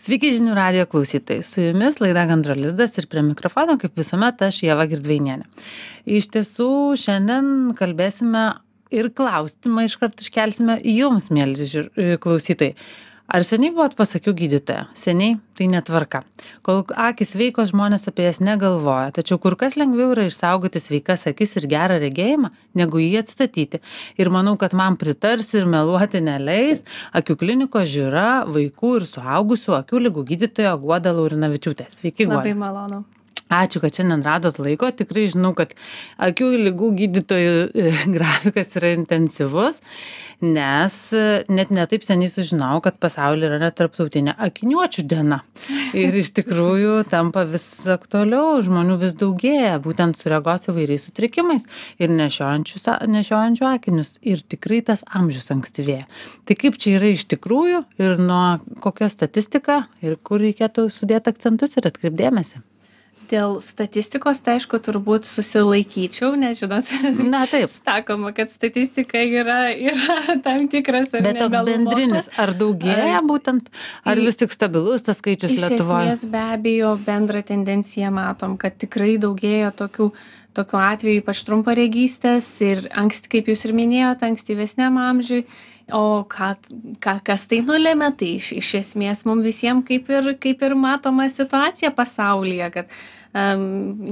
Sveiki žinių radijo klausytojai. Su jumis laida Gandro lizdas ir prie mikrofono, kaip visuomet, aš Ieva Girdvainienė. Iš tiesų, šiandien kalbėsime ir klausimą iškart iškelsime jums, mėly klausytojai. Ar seniai buvot pas akių gydytoją? Seniai tai netvarka. Kol akys sveikos, žmonės apie jas negalvoja, tačiau kur kas lengviau yra išsaugoti sveikas akis ir gerą regėjimą, negu jį atstatyti. Ir manau, kad man pritars ir meluoti neleis Akių klinikos Žiūra vaikų ir suaugusių akių ligų gydytoja Guoda Laurinavičiūtė. Sveiki, Guoda. Labai malonu. Ačiū, kad šiandien radot laiko. Tikrai žinau, kad akių ligų gydytojų grafikas yra intensyvus, nes net netaip seniai sužinau, kad pasaulyje yra tarptautinė akiniuočių diena. Ir iš tikrųjų tampa vis aktualiau, žmonių vis daugėja, būtent su regos įvairiais sutrikimais ir nešiojančių akinius. Ir tikrai tas amžius ankstyvėja. Tai kaip čia yra iš tikrųjų ir nuo kokia statistika ir kur reikėtų sudėti akcentus ir atkreipdėmėsi? Dėl statistikos, tai aišku, turbūt susilaikyčiau, nes žinot, Na taip. sakoma, kad statistika yra tam tikras ar Bet toks bendrinis, ar daugėja būtent, ar vis tik stabilus tas skaičius Lietuvoje? Iš esmės be abejo bendrą tendenciją matom, kad tikrai daugėja tokių atvejų, ypač trumparegystės ir kaip jūs ir minėjote, ankstyvesniam amžiui. O kas tai nulėmė, tai iš esmės mums visiems kaip ir matoma situacija pasaulyje, kad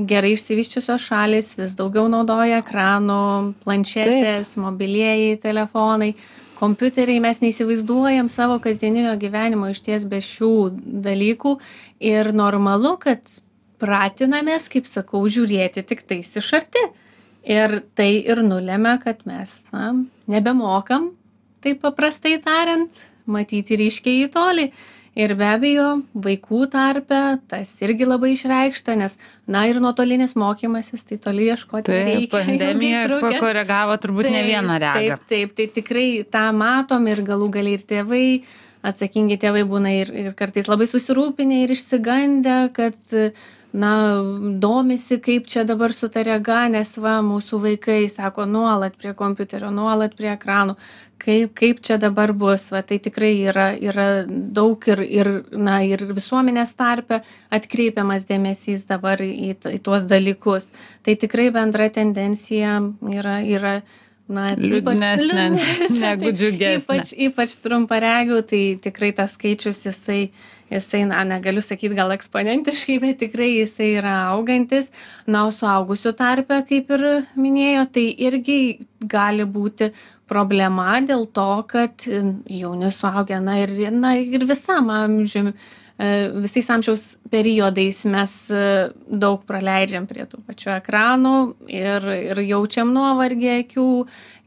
gerai išsivysčiusios šalys vis daugiau naudoja ekranų, planšetės, mobilieji telefonai, kompiuteriai, mes neįsivaizduojam savo kasdieninio gyvenimo išties be šių dalykų ir normalu, kad pratinamės, kaip sakau, žiūrėti tik tais iš arti. Ir tai ir nulėmė, kad mes nebemokam, taip paprastai tariant, matyti ryškiai į tolį. Ir be abejo, vaikų tarpe tas irgi labai išreikšta, nes, ir nuotolinis mokymasis, tai toli ieškoti reikia. Pandemija pakoregavo turbūt ne vieną regą. Taip, tai tikrai tą matom ir galų galiai ir tėvai, atsakingi tėvai būna ir kartais labai susirūpinę ir išsigandę, kad domisi, kaip čia dabar su ta rega, nes mūsų vaikai sako nuolat prie kompiuterio, nuolat prie ekranų, kaip čia dabar bus, tai tikrai yra daug ir visuomenės tarpe atkreipiamas dėmesys dabar į tuos dalykus. Tai tikrai bendra tendencija yra liūdnesnė negu džiugesnė. Ypač trumparegių, tai tikrai tas skaičius jisai negaliu sakyti gal eksponentiškai, bet tikrai jisai yra augantis. O suaugusių tarpe, kaip ir minėjo, tai irgi gali būti problema dėl to, kad jauni suaugę, ir visam amžiui, visais amžiaus periodais mes daug praleidžiam prie tų pačių ekranų ir jaučiam nuovargį akių.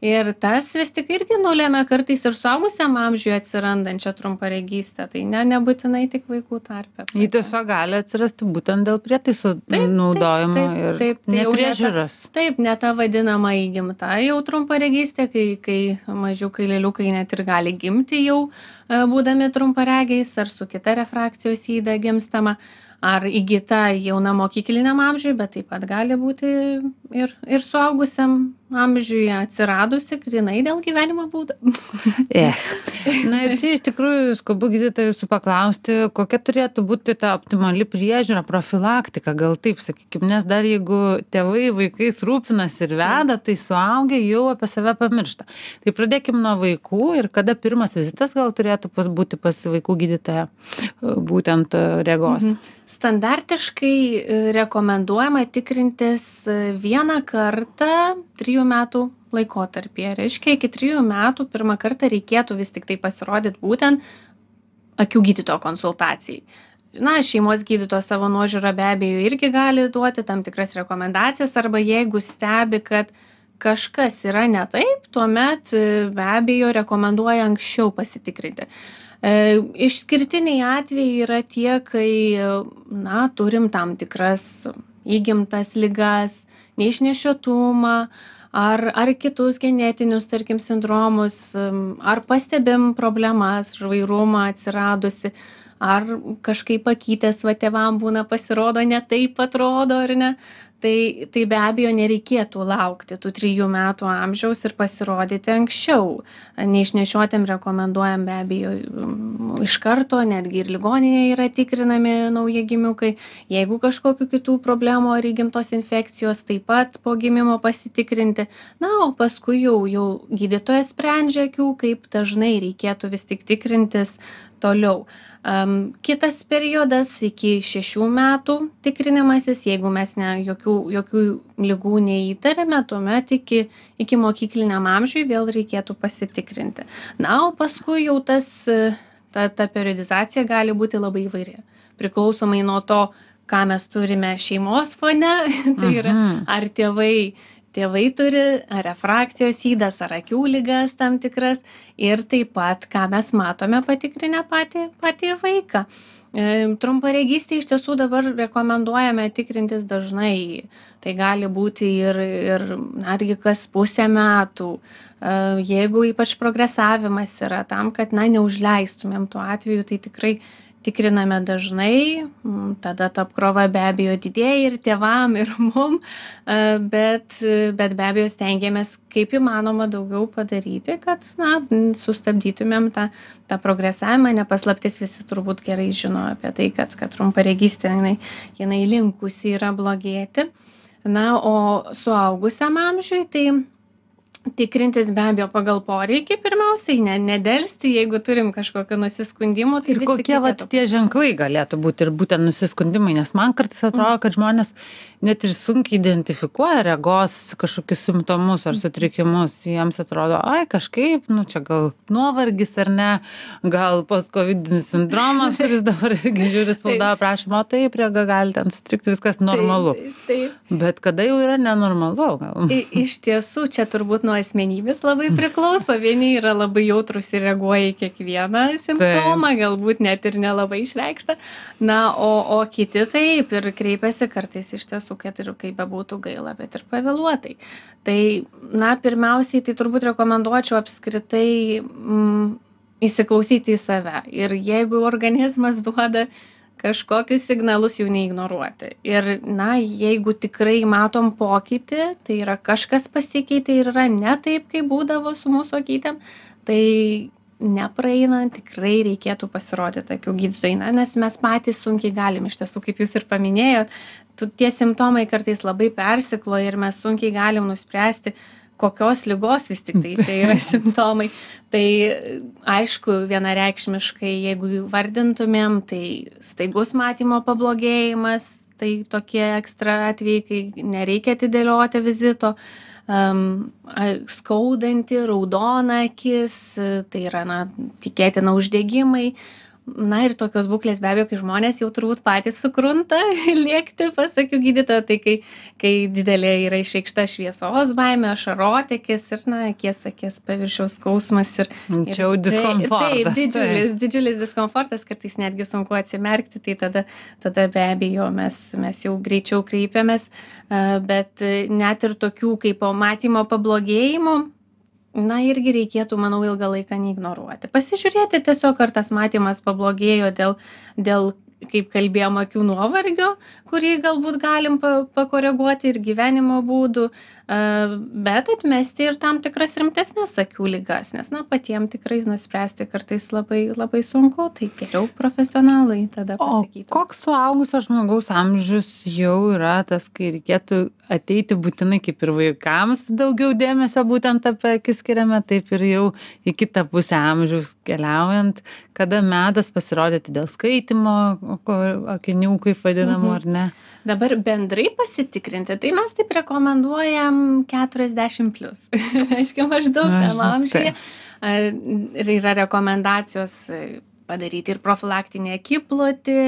Ir tas vis tik irgi nulėmė kartais ir suaugusiam amžiui atsirandančią trumparegystę. Tai nebūtinai tik vaikų tarpe. Ji tiesiog gali atsirasti būtent dėl prietaisų naudojimo ir nepriežiūros. Taip, ne ta vadinama įgimta jau trumparegystė, kai mažiukai lėliukai net ir gali gimti jau būdami trumparegiais ar su kita refrakcijos yda gimstama. Ar įgyta jauna mokykliniam amžiui, bet taip pat gali būti ir suaugusiam amžiuje atsiradusi grynai dėl gyvenimo būdo. Ir čia iš tikrųjų skubu gydytojų jūsų paklausti, kokia turėtų būti ta optimali priežiūra, profilaktika, gal taip sakykime, nes dar jeigu tėvai vaikais rūpinasi ir veda, tai suaugę jau apie save pamiršta. Tai pradėkim nuo vaikų ir kada pirmas vizitas gal turėtų būti pas vaikų gydytoją, būtent regos. Standartiškai rekomenduojama tikrintis vieną kartą 3 metų laikotarpyje. Reiškia, iki 3 metų pirmą kartą reikėtų vis tik tai pasirodyti būtent akių gydytojo konsultacijai. Šeimos gydytojas savo nuožiūrą be abejo irgi gali duoti tam tikras rekomendacijas, arba jeigu stebi, kad kažkas yra ne taip, tuomet be abejo rekomenduoja anksčiau pasitikrinti. Išskirtiniai atvejai yra tie, kai turim tam tikras įgimtas ligas, neišnešiotumą ar kitus genetinius, tarkim, sindromus, ar pastebim problemas, žvairumą atsiradusi, ar kažkaip pakytės tėvam būna pasirodo, ne taip atrodo, ar ne. Tai be abejo nereikėtų laukti tų 3 metų amžiaus ir pasirodyti anksčiau. Neišnešiotiem rekomenduojam be abejo iš karto, netgi ir ligoninėje yra tikrinami naujagimiukai. Jeigu kažkokių kitų problemų ar įgimtos infekcijos, taip pat po gimimo pasitikrinti. Na, o paskui jau gydytojas sprendžia akių, kaip dažnai reikėtų vis tik tikrintis toliau. Kitas periodas iki 6 metų tikrinimasis, jeigu mes jokių ligų neįtarėme, tuomet iki mokykliniam amžiui vėl reikėtų pasitikrinti. Na, o paskui jau ta periodizacija gali būti labai įvairi. Priklausomai nuo to, ką mes turime šeimos fone, tai yra ar tėvai turi ar refrakcijos ydas, ar akių ligas tam tikras ir taip pat, ką mes matome patikrinę patį vaiką. Trumparegystė iš tiesų dabar rekomenduojame tikrintis dažnai. Tai gali būti ir netgi kas pusę metų. Jeigu ypač progresavimas yra tam, kad neužleistumėm tuo atveju, tai tikrai tikriname dažnai, tada ta apkrova be abejo didėja ir tėvam, ir mum, bet be abejo stengiamės kaip įmanoma daugiau padaryti, kad sustabdytumėm tą progresavimą. Nepaslaptis, visi turbūt gerai žino apie tai, kad trumparegystė jinai linkusi yra blogėti. Na, o suaugusiam amžiui tai tikrintis be abejo pagal poreikį pirmiausiai, nedelsti, jeigu turim kažkokio nusiskundimo. Tai ir kokie tie ženklai galėtų būti ir būtent nusiskundimai, nes man kartais atrodo, kad žmonės net ir sunkiai identifikuoja regos kažkokius simptomus ar sutrikimus. Jiems atrodo, kažkaip, čia gal nuovargis ar ne, gal postcovidinis sindromas, kuris dabar žiūri spaudą prašymą, taip, rega gali ten sutrikti, viskas normalu. Taip. Bet kada jau yra nenormalu? Gal? Iš tiesų, čia turbūt nuo asmenybės labai priklauso. Vieni yra labai jautrus ir reaguoja į kiekvieną simptomą, galbūt net ir nelabai išreikštą. Na, o kiti taip ir kreipiasi kartais iš tiesų, kad ir kaip bebūtų gaila, bet ir pavėluotai. Tai, pirmiausiai, tai turbūt rekomenduočiau apskritai įsiklausyti į save. Ir jeigu organizmas duoda kažkokius signalus, jų neignoruoti. Ir, jeigu tikrai matom pokytį, tai yra kažkas pasikeitė ir yra ne taip, kaip būdavo su mūsų akytėm, tai nepraeinant tikrai reikėtų pasirodyti akių gydytojai, nes mes patys sunkiai galim, iš tiesų, kaip jūs ir paminėjot, tie simptomai kartais labai persikloja ir mes sunkiai galim nuspręsti, kokios ligos vis tik tai čia yra simptomai. Tai aišku, vienareikšmiškai, jeigu vardintumėm, tai staigus matymo pablogėjimas, tai tokie ekstra atvejai, kai nereikia atidėlioti vizito, skaudanti, raudona akis, tai yra, tikėtina uždegimai. Ir tokios būklės be abejo, kai žmonės jau turbūt patys sukrunta lėkti pas akių gydytoją, tai kai didelė yra išreikšta šviesos baimė, ašarotekis ir akies paviršiaus skausmas. Čia jau diskomfortas. Taip, didžiulis diskomfortas, kartais netgi sunku atsimerkti, tai tada be abejo mes jau greičiau kreipiamės, bet net ir tokių kaip matymo pablogėjimų, irgi reikėtų, manau, ilgą laiką neignoruoti. Pasižiūrėti tiesiog, ar tas matymas pablogėjo dėl kaip kalbėjom, akių nuovargio, kurį galbūt galim pakoreguoti ir gyvenimo būdų, bet atmesti ir tam tikras rimtesnės akių ligas, nes patiem tikrai nuspręsti kartais labai, labai sunku, tai geriau profesionalai tada pasakytų. O koks suaugusio žmogaus amžius jau yra tas, kai reikėtų ateiti būtinai kaip ir vaikams daugiau dėmesio būtent apie akis skiriame, taip ir jau į kitą pusę amžiaus keliaujant, kada metas pasirodyti dėl skaitymo, akinių, kaip vadinamų, ar ne? Dabar bendrai pasitikrinti, tai mes taip rekomenduojam 40+. Aiškiai, maždaug tam amžiuje. Ir yra rekomendacijos padaryti ir profilaktinį akiplotį,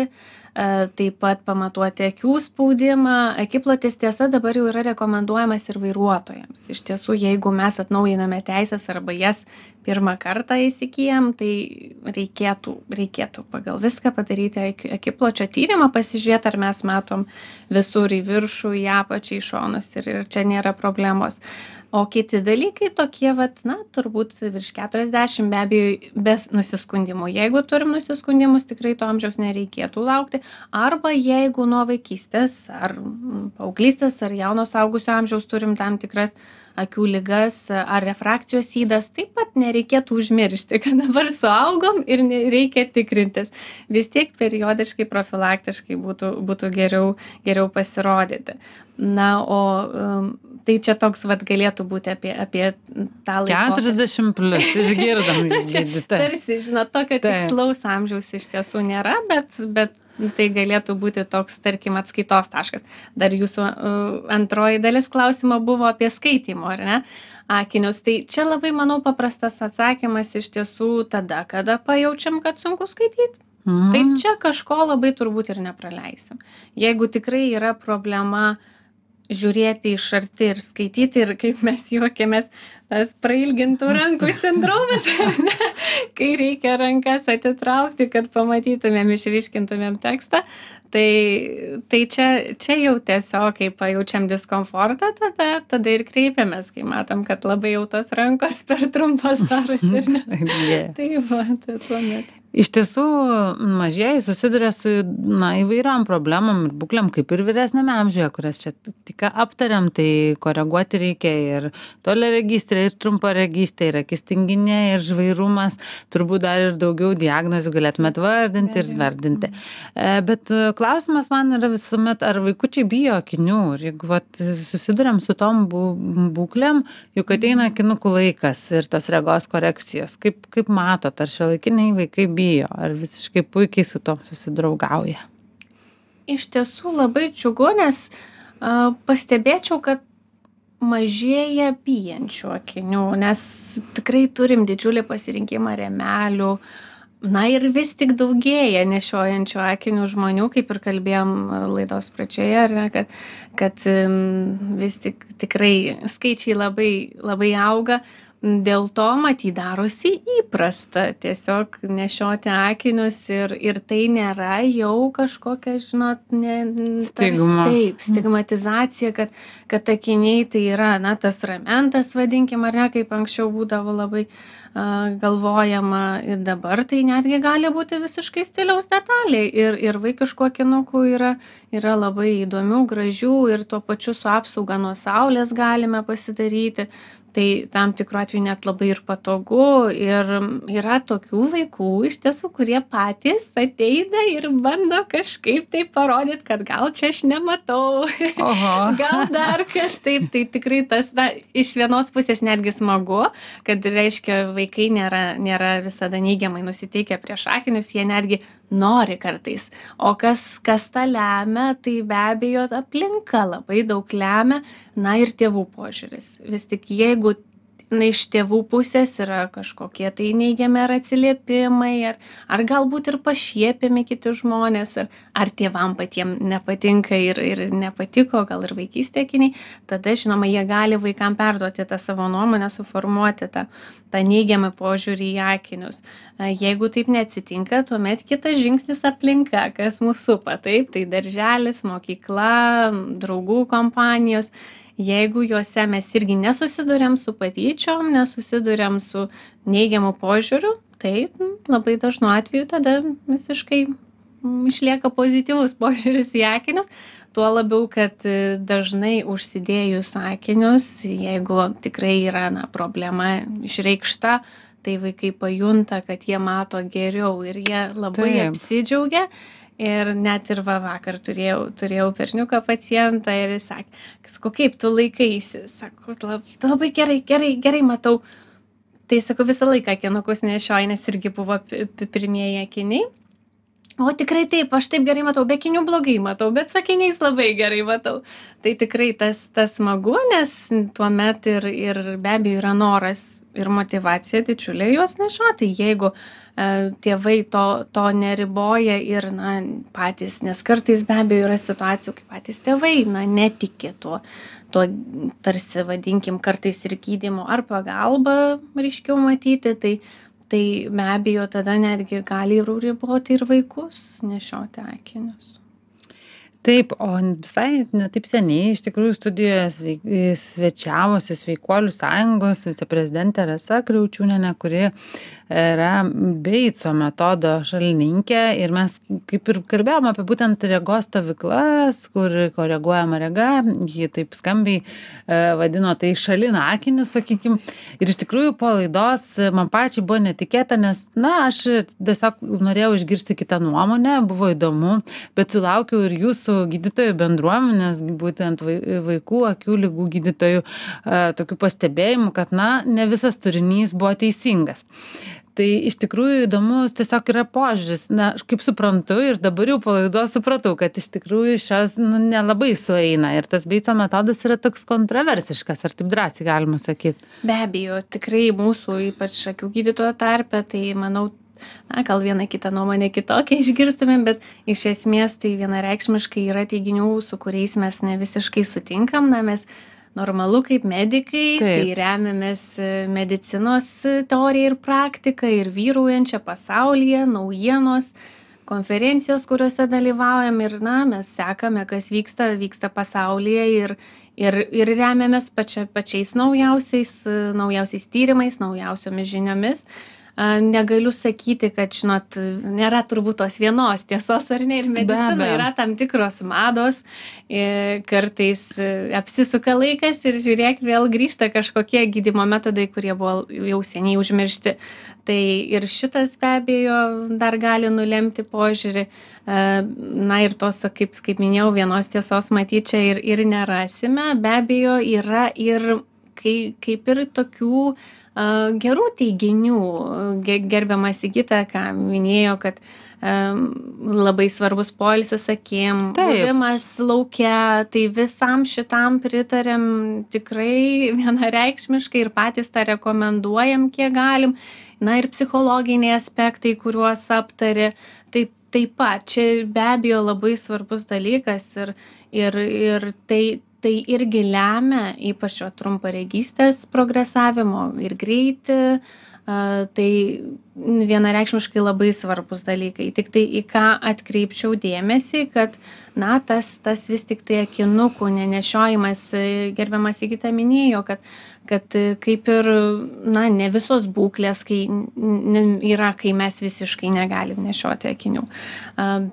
taip pat pamatuoti akių spaudimą. Akiplotis tiesa dabar jau yra rekomenduojamas ir vairuotojams. Iš tiesų, jeigu mes atnaujiname teisės arba jas pirmą kartą įsigyjam, tai reikėtų pagal viską padaryti akipločio tyrimą, pasižiūrėti, ar mes matom visur į viršų, į apačią, į šonus ir čia nėra problemos. O kiti dalykai tokie vat, na, turbūt virš 40 be abejo be nusiskundimų. Jeigu turim nusiskundimus, tikrai to amžiaus nereikėtų laukti. Arba jeigu nuo vaikystės ar paauglystės ar jauno suaugusio amžiaus turim tam tikras akių ligas ar refrakcijos ydas, taip pat nereikėtų užmiršti, kad dabar suaugom ir reikia tikrintis. Vis tiek periodiškai, profilaktiškai būtų geriau pasirodyti. Na, o tai čia toks vat galėtų būti apie tą laikotarpį. 40 plus, išgirdom jūs gydytoja. Tarsi, žinot, tokio tikslaus amžiaus iš tiesų nėra, bet tai galėtų būti toks, tarkim, atskaitos taškas. Dar jūsų antroji dalis klausimo buvo apie skaitymo, ar ne, akinius. Tai čia labai, manau, paprastas atsakymas iš tiesų tada, kada pajaučiam, kad sunku skaityti. Tai čia kažko labai turbūt ir nepraleisim. Jeigu tikrai yra problema žiūrėti iš arti ir skaityti, ir kaip mes juokiamės, tas prailgintų rankų sindromas, kai reikia rankas atitraukti, kad pamatytumėm, išryškintumėm tekstą, tai čia jau tiesiog, kai pajaučiam diskomfortą, tada ir kreipiamės, kai matom, kad labai jau tos rankos per trumpos darosi. Tai va, tai tuomet. Iš tiesų, mažieji susiduria su įvairiom problemom ir būklėm, kaip ir vyresniame amžiuje, kurias čia tik aptariam, tai koreguoti reikia ir toliaregystė, ir trumparegystė, ir akis tinginė, ir žvairumas, turbūt dar ir daugiau diagnozių galėtumėt vardinti ir vardinti. Bet klausimas man yra visuomet, ar vaikučiai bijo akinių, ir jeigu susiduriam su tom būklėm, juk ateina akinukų laikas ir tos regos korekcijos. Kaip matot, ar šiuolaikiniai vaikai bijo, ar visiškai puikiai su tom susidraugauja? Iš tiesų labai džiugu, nes pastebėčiau, kad mažėja bijančių akinių, nes tikrai turim didžiulį pasirinkimą rėmelių, na ir vis tik daugėja nešiojančių akinių žmonių, kaip ir kalbėjom laidos pradžioje, ar ne, kad vis tik tikrai skaičiai labai auga. Dėl to, matyt, darosi įprasta tiesiog nešioti akinius ir tai nėra jau kažkokia, žinot, stigmatizacija, kad akiniai tai yra, na, tas ramentas, vadinkim, ar ne, kaip anksčiau būdavo labai galvojama, ir dabar tai netgi gali būti visiškai stiliaus detalė ir vaikiškų akinukų yra labai įdomių, gražių ir tuo pačiu su apsauga nuo saulės galime pasidaryti. Tai tam tikru atveju net labai ir patogu ir yra tokių vaikų iš tiesų, kurie patys ateina ir bando kažkaip tai parodyti, kad gal čia aš nematau, gal dar kas taip, tai tikrai tas, iš vienos pusės netgi smagu, kad reiškia vaikai nėra visada neigiamai nusiteikę prieš akinius, jie netgi nori kartais. O kas tą lemia, tai be abejo aplinka labai daug lemia, na ir tėvų požiūris. Vis tik jeigu iš tėvų pusės yra kažkokie tai neigiami ar atsiliepimai, ar galbūt ir pašiepiami kiti žmonės, ar tėvam patiem nepatinka ir nepatiko, gal ir vaikystė akiniai, tada, žinoma, jie gali vaikam perduoti tą savo nuomonę, suformuoti tą neigiamą požiūrį į akinius. Jeigu taip neatsitinka, tuomet kitas žingsnis aplinka, kas mūsų supa, taip, tai darželis, mokykla, draugų kompanijos. Jeigu juose mes irgi nesusiduriam su patyčiom, nesusiduriam su neigiamu požiūriu, tai labai dažnu atveju tada visiškai išlieka pozityvus požiūris į akinius. Tuo labiau, kad dažnai užsidėjus akinius, jeigu tikrai yra problema išreikšta, tai vaikai pajunta, kad jie mato geriau ir jie labai apsidžiaugia. Ir net ir vakar turėjau berniuką pacientą ir jis sakė, kaip tu laikaisi, sako, labai gerai matau. Tai sakau, visą laiką akinukus nešioju, nes irgi buvo pirmieji akiniai. O tikrai taip, aš taip gerai matau, be akinių blogai matau, bet su akiniais labai gerai matau. Tai tikrai tas smagu, nes tuomet ir be abejo yra noras ir motyvacija didžiulė juos nešioti. Jeigu tėvai to neriboja ir patys, nes kartais be abejo yra situacijų, kai patys tėvai netiki tuo tarsi vadinkim kartais ir gydymo ar pagalba ryškiau matyti, tai be abejo tada netgi gali riboti ir vaikus nešioti akinius. Taip, o visai ne taip seniai iš tikrųjų studijoje svečiavosi Sveikuolių sąjungos viceprezidentė Rasa Kriaučiūnienė, kuri yra Beico metodo šalininkė ir mes kaip ir kalbėjom apie būtent regos stovyklas, kur koreguojama rega, ji taip skambiai vadino tai šalina akinius, sakykim. Ir iš tikrųjų po laidos man pačiai buvo netikėta, nes, aš tiesiog norėjau išgirsti kitą nuomonę, buvo įdomu, bet sulaukiau ir jūsų gydytojų bendruomenės, būtent vaikų akių ligų gydytojų tokių pastebėjimų, kad, ne visas turinys buvo teisingas. Tai iš tikrųjų įdomus tiesiog yra požiūris. Aš kaip suprantu ir dabar jau po laidos supratau, kad iš tikrųjų šios nelabai sueina ir tas Beico metodas yra toks kontroversiškas, ar taip drąsiai galima sakyti? Be abejo, tikrai mūsų, ypač akių gydytojo tarpe, tai manau, gal vieną kitą nuomonę kitokią išgirstumėm, bet iš esmės tai vienareikšmiškai yra teiginių, su kuriais mes ne visiškai sutinkam, mes normalu kaip medikai, tai remiamės medicinos teorija ir praktika ir vyraujančia pasaulyje, naujienos, konferencijos, kuriuose dalyvaujam ir mes sekame, kas vyksta pasaulyje ir remiamės pačiais naujausiais tyrimais, naujausiomis žiniomis. Negaliu sakyti, kad, nėra turbūt tos vienos tiesos ar ne, ir medicina yra tam tikros mados, kartais apsisuka laikas ir žiūrėk, vėl grįžta kažkokie gydymo metodai, kurie buvo jau seniai užmiršti. Tai ir šitas be abejo dar gali nulemti požiūrį, ir tos, kaip minėjau, vienos tiesos matyti čia ir nerasime, be abejo yra ir kaip ir tokių gerų teiginių. Gerbiamas Sigita, ką minėjo, kad labai svarbus poilsis akim, buvimas lauke, tai visam šitam pritarėm tikrai vienareikšmiškai ir patys tą rekomenduojam, kiek galim. Ir psichologiniai aspektai, kuriuos aptarė, taip pat čia be abejo labai svarbus dalykas ir tai irgi lemia ypač trumparegystės progresavimo ir greitį, tai vienareikšmiškai labai svarbus dalykai. Tik tai į ką atkreipčiau dėmesį, kad tas vis tik tai akinukų nenešiojimas, gerbiamas Sigita minėjo, kad kaip ir ne visos būklės yra, kai mes visiškai negalim nešioti akinių.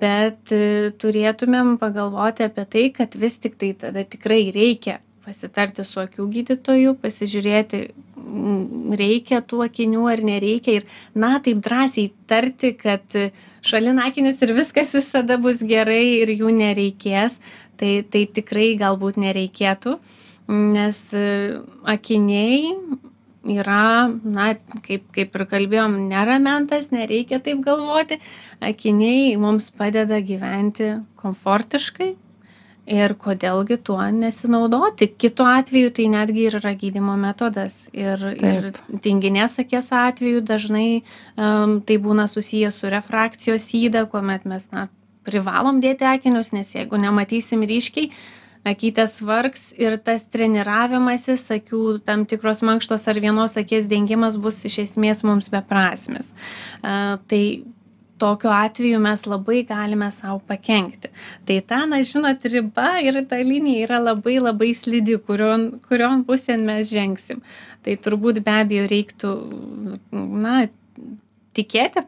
Bet turėtumėm pagalvoti apie tai, kad vis tik tai tada tikrai reikia pasitarti su akių gydytoju, pasižiūrėti, reikia tų akinių ar nereikia ir taip drąsiai tarti, kad šalina akinius ir viskas visada bus gerai ir jų nereikės, tai tikrai galbūt nereikėtų, nes akiniai yra, kaip ir kalbėjom, neramentas, nereikia taip galvoti, akiniai mums padeda gyventi komfortiškai. Ir kodėlgi tuo nesinaudoti. Kitu atveju tai netgi ir yra gydymo metodas. Ir tinginės akies atveju dažnai tai būna susiję su refrakcijos yda, kuomet mes privalom dėti akinius, nes jeigu nematysim ryškiai, akytės vargs ir tas treniravimasis, akių tam tikros mankštos ar vienos akies dengimas bus iš esmės mums beprasmis. Tai tokiu atveju mes labai galime savo pakenkti. Tai riba ir ta linija yra labai labai slidi, kurion pusėn mes žengsim. Tai turbūt be abejo reiktų,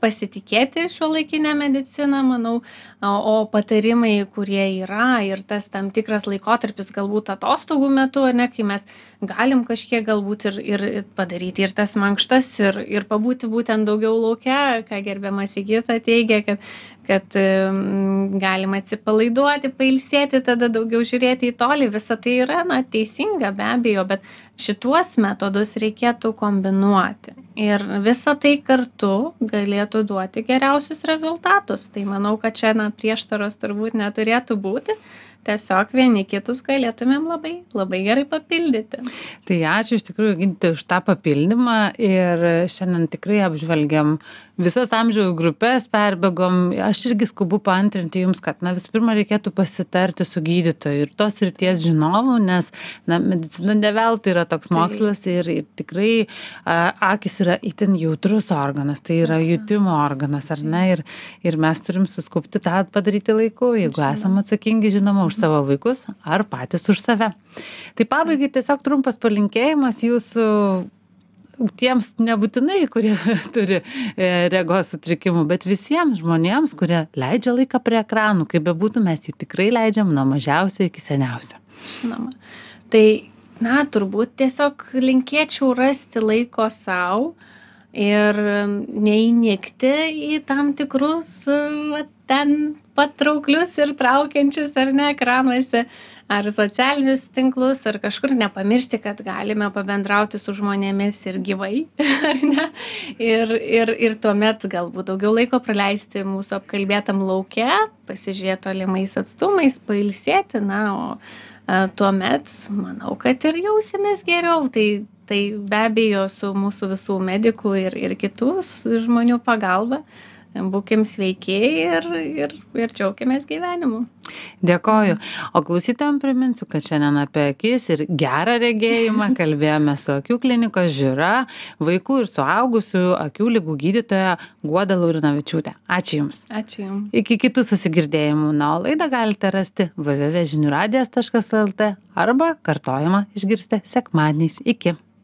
pasitikėti šiuolaikinę mediciną, manau, o patarimai, kurie yra ir tas tam tikras laikotarpis galbūt atostogų metu, kai mes galim kažkiek galbūt ir padaryti ir tas mankštas ir pabūti būtent daugiau lauke, ką gerbiamas Sigita teigia, kad galima atsipalaiduoti, pailsėti, tada daugiau žiūrėti į tolį, visa tai yra teisinga be abejo, bet šituos metodus reikėtų kombinuoti ir visa tai kartu galėtų duoti geriausius rezultatus. Tai manau, kad čia prieštaros turbūt neturėtų būti. Tiesiog vieni kitus galėtumėm labai, labai gerai papildyti. Tai ačiū iš tikrųjų, gydytojai, už tą papildymą ir šiandien tikrai apžvelgiam visas amžiaus grupės, perbėgom. Aš irgi skubu paantrinti jums, kad visų pirma reikėtų pasitarti su gydytoju ir tos srities žinovu, nes medicina ne veltui yra toks mokslas ir tikrai akys yra itin jautrus organas, tai yra jutimo organas, ar ne? Ir mes turim suskupti tą padaryti laiku, jeigu esame atsakingi, žinoma, už savo vaikus ar patys už save. Tai pabaigai tiesiog trumpas palinkėjimas jūsų tiems nebūtinai, kurie turi regos sutrikimų, bet visiems žmonėms, kurie leidžia laiką prie ekranų, kaip bebūtų, mes jį tikrai leidžiam nuo mažiausio iki seniausio. Žinoma. Tai, turbūt tiesiog linkėčiau rasti laiko savo ir neįnikti į tam tikrus ten patrauklius ir traukiančius ar ne ekranuose, ar socialinius tinklus, ar kažkur nepamiršti, kad galime pabendrauti su žmonėmis ir gyvai, ar ne? Ir tuomet galbūt daugiau laiko praleisti mūsų apkalbėtam lauke, pasižiūrėti tolimais atstumais, pailsėti, o tuomet manau, kad ir jausimės geriau. Tai be abejo su mūsų visų medikų ir kitus žmonių pagalba. Būkim sveiki ir džiaukimės gyvenimu. Dėkoju. O klausytojams priminsiu, kad šiandien apie akis ir gerą regėjimą kalbėjome su Akių klinikos Žiūra, vaikų ir suaugusių akių ligų gydytoja Guoda Laurinavičiūtė. Ačiū Jums. Ačiū Jums. Iki kitų susigirdėjimų. O laidą galite rasti www.žiniuradijas.lt arba kartojimą išgirsite sekmadieniais. Iki.